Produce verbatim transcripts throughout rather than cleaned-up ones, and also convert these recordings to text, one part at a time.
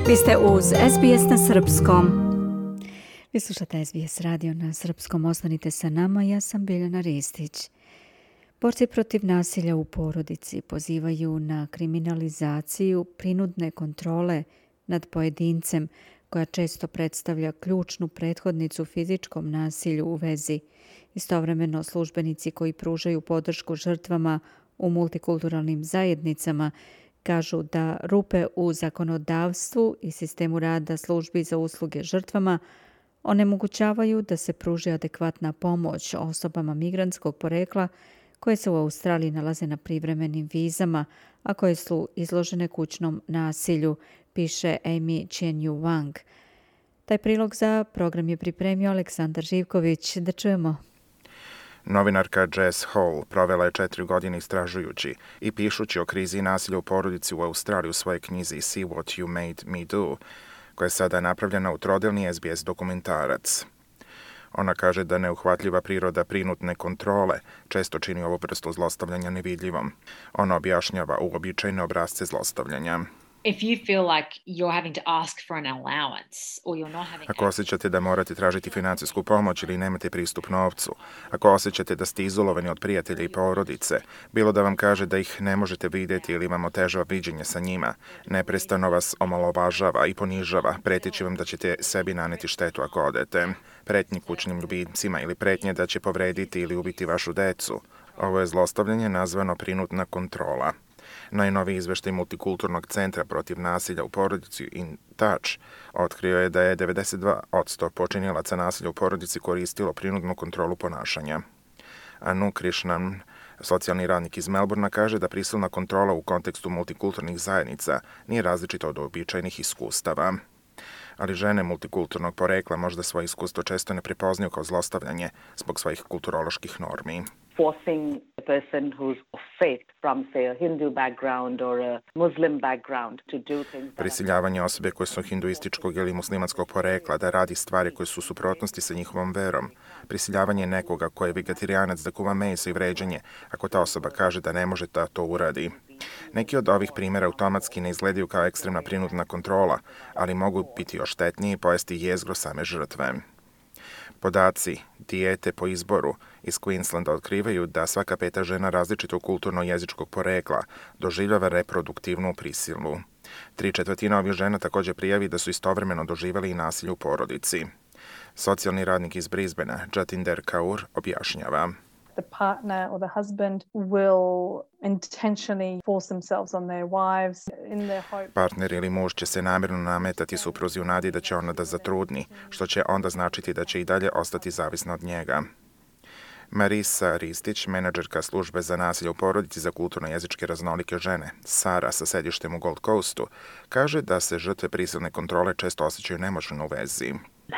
Vi ste uz S B S na srpskom. Vi slušate S B S radio na srpskom. Ostanite sa nama, ja sam Biljana Ristić. Borci protiv nasilja u porodici pozivaju na kriminalizaciju prinudne kontrole nad pojedincem, koja često predstavlja ključnu prethodnicu fizičkom nasilju u vezi. Istovremeno, službenici koji pružaju podršku žrtvama u multikulturalnim zajednicama kažu da rupe u zakonodavstvu i sistemu rada službi za usluge žrtvama onemogućavaju da se pruži adekvatna pomoć osobama migrantskog porekla koje se u Australiji nalaze na privremenim vizama, a koje su izložene kućnom nasilju, piše Amy Chen-Yu Wang. Taj prilog za program je pripremio Aleksandar Živković. Da čujemo. Novinarka Jess Hall provela je četiri godine istražujući i pišući o krizi nasilja u porodici u Australiji u svojoj knjizi See What You Made Me Do, koja je sada napravljena u trodelni S B S dokumentarac. Ona kaže da neuhvatljiva priroda prinudne kontrole često čini ovu vrstu zlostavljanja nevidljivom. Ona objašnjava uobičajene obrasce zlostavljanja. If you feel like you're having to ask for an allowance or you're not having... Ako osjećate da morate tražiti financijsku pomoć ili nemate pristup novcu, ako osjećate da ste izolovani od prijatelja i porodice, bilo da vam kaže da ih ne možete vidjeti ili vam otežava viđenje sa njima, neprestano vas omalovažava i ponižava, preteći vam da ćete sebi naneti štetu ako odete, pretnji kućnim ljubimcima ili pretnje da će povrediti ili ubiti vašu decu. Ovo je zlostavljanje nazvano prinudna kontrola. Najnoviji izveštaj Multikulturnog centra protiv nasilja u porodici In Touch otkrio je da je devedeset dva posto počinjelaca nasilja u porodici koristilo prinudnu kontrolu ponašanja. Anu Krishnan, socijalni radnik iz Melbourna, kaže da prisilna kontrola u kontekstu multikulturnih zajednica nije različita od uobičajenih iskustava. Ali žene multikulturnog porekla možda svoje iskustvo često ne prepoznaju kao zlostavljanje zbog svojih kulturoloških normi. Forcing a person who's of faith from, say, a Hindu background or a Muslim background to do things. Prisiljavanje osobe koje su hinduističkog ili muslimanskog porekla da radi stvari koje su u suprotnosti sa njihovom verom. Prisiljavanje nekoga ko je vegetarijanac da kuva meso i vređanje ako ta osoba kaže da ne može da to uradi. Neki od ovih primjera automatski ne izgledaju kao ekstremna prinudna kontrola, ali mogu biti još štetniji i pojesti jezgro same žrtve. Podaci Dijete po izboru iz Queenslanda otkrivaju da svaka peta žena različitog kulturno-jezičkog porekla doživljava reproduktivnu prisilu. Tri četvrtina ovih žena također prijavi da su istovremeno doživjeli i nasilje u porodici. Socijalni radnik iz Brisbanea, Jatinder Kaur, objašnjava. The partner or the husband will intentionally force themselves on their wives in their hope. Partner ili muž će se namjerno nametati supruzi u nadi da će ona da zatrudni, što će onda značiti da će i dalje ostati zavisna od njega. Marisa Ristić, menadžerka službe za nasilje u porodici za kulturno-jezičke raznolike žene, Sara sa sedištem u Gold Coastu, kaže da se žrtve prisilne kontrole često osjećaju nemoćno u vezi.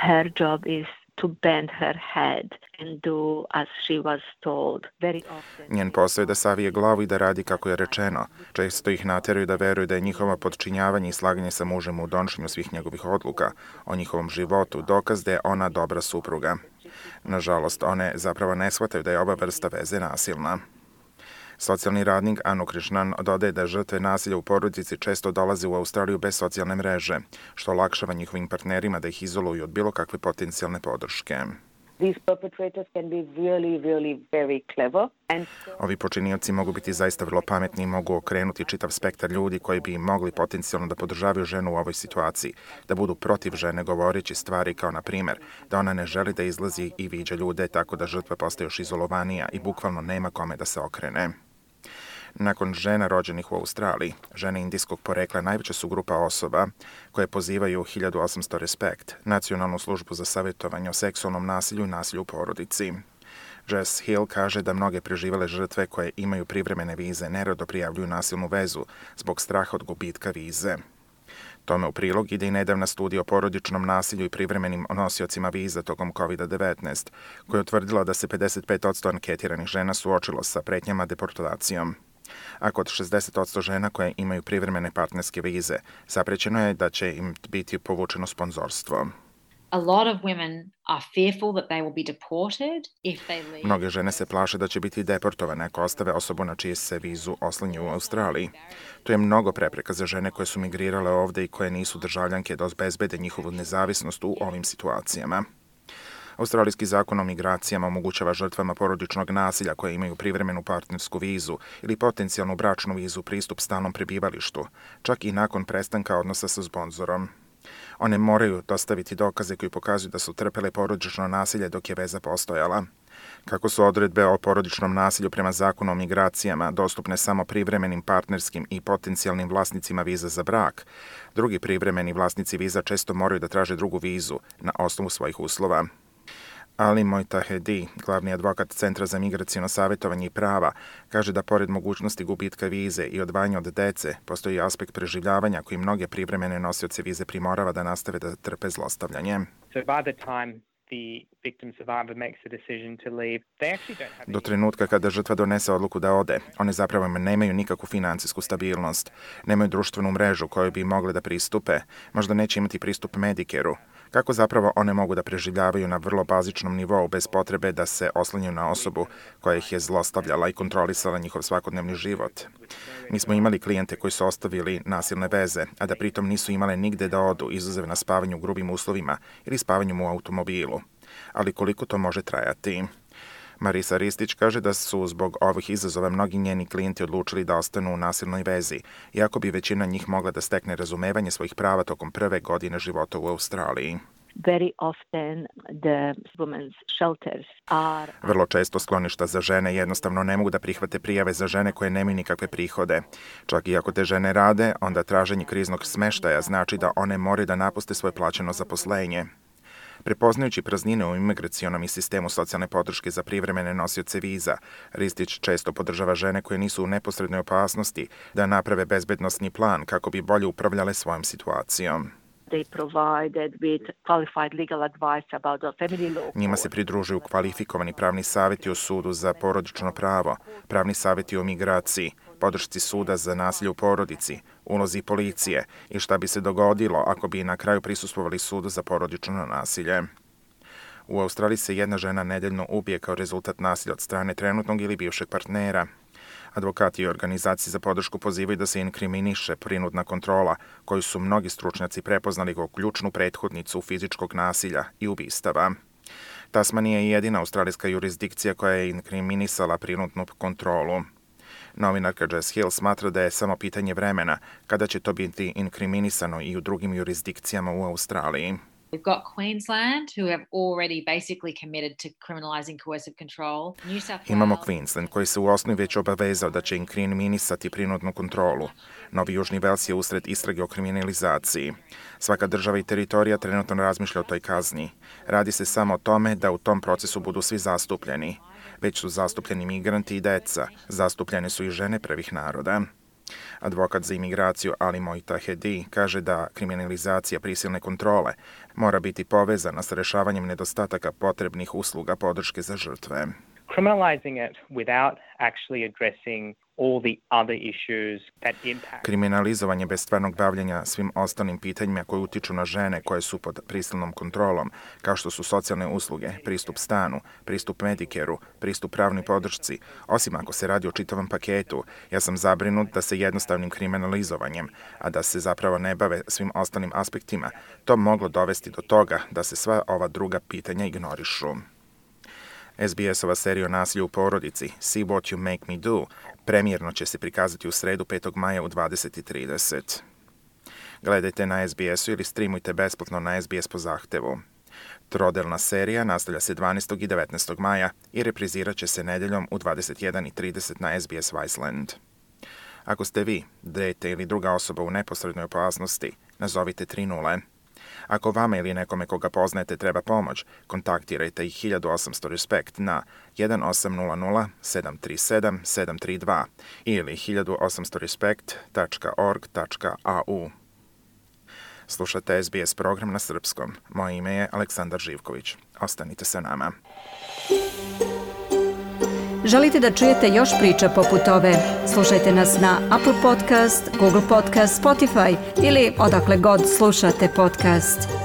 Her job is to bend her head and do as she was told. Very often. Njen posao je da savije glavu i da radi kako je rečeno. Često ih nateraju da veruju da je njihovo podčinjavanje i slaganje sa mužem u donošenju svih njegovih odluka o njihovom životu dokaz da je ona dobra supruga. Nažalost, one zapravo ne shvataju da je ova vrsta veze nasilna. Socijalni radnik Anu Krishnan dodaje da žrtve nasilja u porodici često dolaze u Australiju bez socijalne mreže, što olakšava njihovim partnerima da ih izoluju od bilo kakve potencijalne podrške. These perpetrators can be really, really very clever. And so... Ovi počinioci mogu biti zaista vrlo pametni i mogu okrenuti čitav spektar ljudi koji bi mogli potencijalno da podržavaju ženu u ovoj situaciji, da budu protiv žene govoreći stvari kao na primjer da ona ne želi da izlazi i viđa ljude tako da žrtva postaje još izolovanija i bukvalno nema kome da se okrene. Nakon žena rođenih u Australiji, žene indijskog porekla najveća su grupa osoba koje pozivaju hiljadu osamsto Respect, nacionalnu službu za savjetovanje o seksualnom nasilju i nasilju u porodici. Jess Hill kaže da mnoge preživele žrtve koje imaju privremene vize nerado prijavljuju nasilnu vezu zbog straha od gubitka vize. Tome u prilog ide i nedavna studija o porodičnom nasilju i privremenim nosiocima viza tokom kovid devetnaest, koja je utvrdila da se pedeset pet posto anketiranih žena suočilo sa pretnjama deportacijom. A kod šezdeset posto žena koje imaju privremene partnerske vize, zaprećeno je da će im biti povučeno sponzorstvo. A lot of women are fearful that they will be deported if they leave. Mnoge žene se plaše da će biti deportovane ako ostave osobu na čiju se vizu oslanju u Australiji. To je mnogo prepreka za žene koje su migrirale ovde i koje nisu državljanke da obezbede njihovu nezavisnost u ovim situacijama. Australijski zakon o migracijama omogućava žrtvama porodičnog nasilja koje imaju privremenu partnersku vizu ili potencijalnu bračnu vizu pristup stalnom prebivalištu, čak i nakon prestanka odnosa sa sponzorom. One moraju dostaviti dokaze koji pokazuju da su trpele porodično nasilje dok je veza postojala. Kako su odredbe o porodičnom nasilju prema zakonu o migracijama dostupne samo privremenim partnerskim i potencijalnim vlasnicima viza za brak, drugi privremeni vlasnici viza često moraju da traže drugu vizu na osnovu svojih uslova. Ali Mojtahedi, glavni advokat Centra za migracijono savjetovanje i prava, kaže da pored mogućnosti gubitka vize i odvajanja od dece, postoji aspekt preživljavanja koji mnoge privremene nosioce vize primorava da nastave da trpe zlostavljanje. So by the time the victim survivor makes a decision to leave, they actually don't have... Do trenutka kada žrtva donese odluku da ode, one zapravo nemaju nikakvu financijsku stabilnost, nemaju društvenu mrežu kojoj bi mogle da pristupe, možda neće imati pristup Medicare-u. Kako zapravo one mogu da preživljavaju na vrlo bazičnom nivou bez potrebe da se oslanjaju na osobu koja ih je zlostavljala i kontrolisala njihov svakodnevni život? Mi smo imali klijente koji su ostavili nasilne veze, a da pritom nisu imale nigde da odu, izuzev na spavanju u grubim uslovima ili spavanjem u automobilu. Ali koliko to može trajati? Marisa Ristić kaže da su zbog ovih izazova mnogi njeni klijenti odlučili da ostanu u nasilnoj vezi, iako bi većina njih mogla da stekne razumevanje svojih prava tokom prve godine života u Australiji. Very often the women's shelters are... Vrlo često skloništa za žene jednostavno ne mogu da prihvate prijave za žene koje nemaju nikakve prihode. Čak i ako te žene rade, onda traženje kriznog smeštaja znači da one moraju da napuste svoje plaćeno zaposlenje. Prepoznajući praznine u imigracionom i sistemu socijalne podrške za privremene nosioce viza, Ristić često podržava žene koje nisu u neposrednoj opasnosti da naprave bezbednosni plan kako bi bolje upravljale svojom situacijom. They provided with qualified legal advice about the family law. Njima se pridružuju kvalifikovani pravni savjeti o sudu za porodično pravo, pravni savjeti o migraciji, podršci suda za nasilje u porodici, ulozi policije i šta bi se dogodilo ako bi na kraju prisustvovali sudu za porodično nasilje. U Australiji se jedna žena nedeljno ubije kao rezultat nasilja od strane trenutnog ili bivšeg partnera. Advokati i organizacije za podršku pozivaju da se inkriminiše prinudna kontrola, koju su mnogi stručnjaci prepoznali kao ključnu prethodnicu fizičkog nasilja i ubistava. Tasmanija je jedina australijska jurisdikcija koja je inkriminisala prinudnu kontrolu. Novinarka Jess Hill smatra da je samo pitanje vremena kada će to biti inkriminisano i u drugim jurisdikcijama u Australiji. We've got Queensland, who have already basically committed to criminalising coercive control. New South Wales... Imamo Queensland, koji se u osnovi već obavezao da će inkriminisati prinudnu kontrolu. Novi Južni Vels je usred istrage o kriminalizaciji. Svaka država i teritorija trenutno razmišlja o toj kazni. Radi se samo o tome da u tom procesu budu svi zastupljeni. Već su zastupljeni migranti i deca. Zastupljene su i žene prvih naroda. Advokat za imigraciju Ali Mojtahedi kaže da kriminalizacija prisilne kontrole mora biti povezana sa rešavanjem nedostataka potrebnih usluga podrške za žrtve. Criminalizing it without actually addressing all the other issues that impact. Kriminalizovanje bez stvarnog bavljenja svim ostalim pitanjima koje utiču na žene koje su pod prisilnom kontrolom, kao što su socijalne usluge, pristup stanu, pristup Medicare-u, pristup pravnoj podršci, osim ako se radi o čitavom paketu, ja sam zabrinut da se jednostavnim kriminalizovanjem, a da se zapravo ne bave svim ostalim aspektima, to moglo dovesti do toga da se sva ova druga pitanja ignorišu. S B S-ova serija o nasilju u porodici See What You Make Me Do premijerno će se prikazati u sredu petog maja u dvadeset i trideset. Gledajte na S B S-u ili streamujte besplatno na S B S po zahtevu. Trodelna serija nastavlja se dvanaestog i devetnaestog maja i reprizirat će se nedeljom u dvadeset jedan i trideset na S B S Viceland. Ako ste vi, dete ili druga osoba u neposrednoj opasnosti, nazovite tri nula. Ako vama ili nekome koga poznajete treba pomoć, kontaktirajte ih hiljadu osamsto Respect na jedan osam nula nula sedam tri sedam sedam tri dva ili hiljadu osamsto respect tačka org tačka a u. Slušate S B S program na srpskom. Moje ime je Aleksandar Živković. Ostanite sa nama. Želite da čujete još priča poput ove? Slušajte nas na Apple Podcast, Google Podcast, Spotify ili odakle god slušate podcast.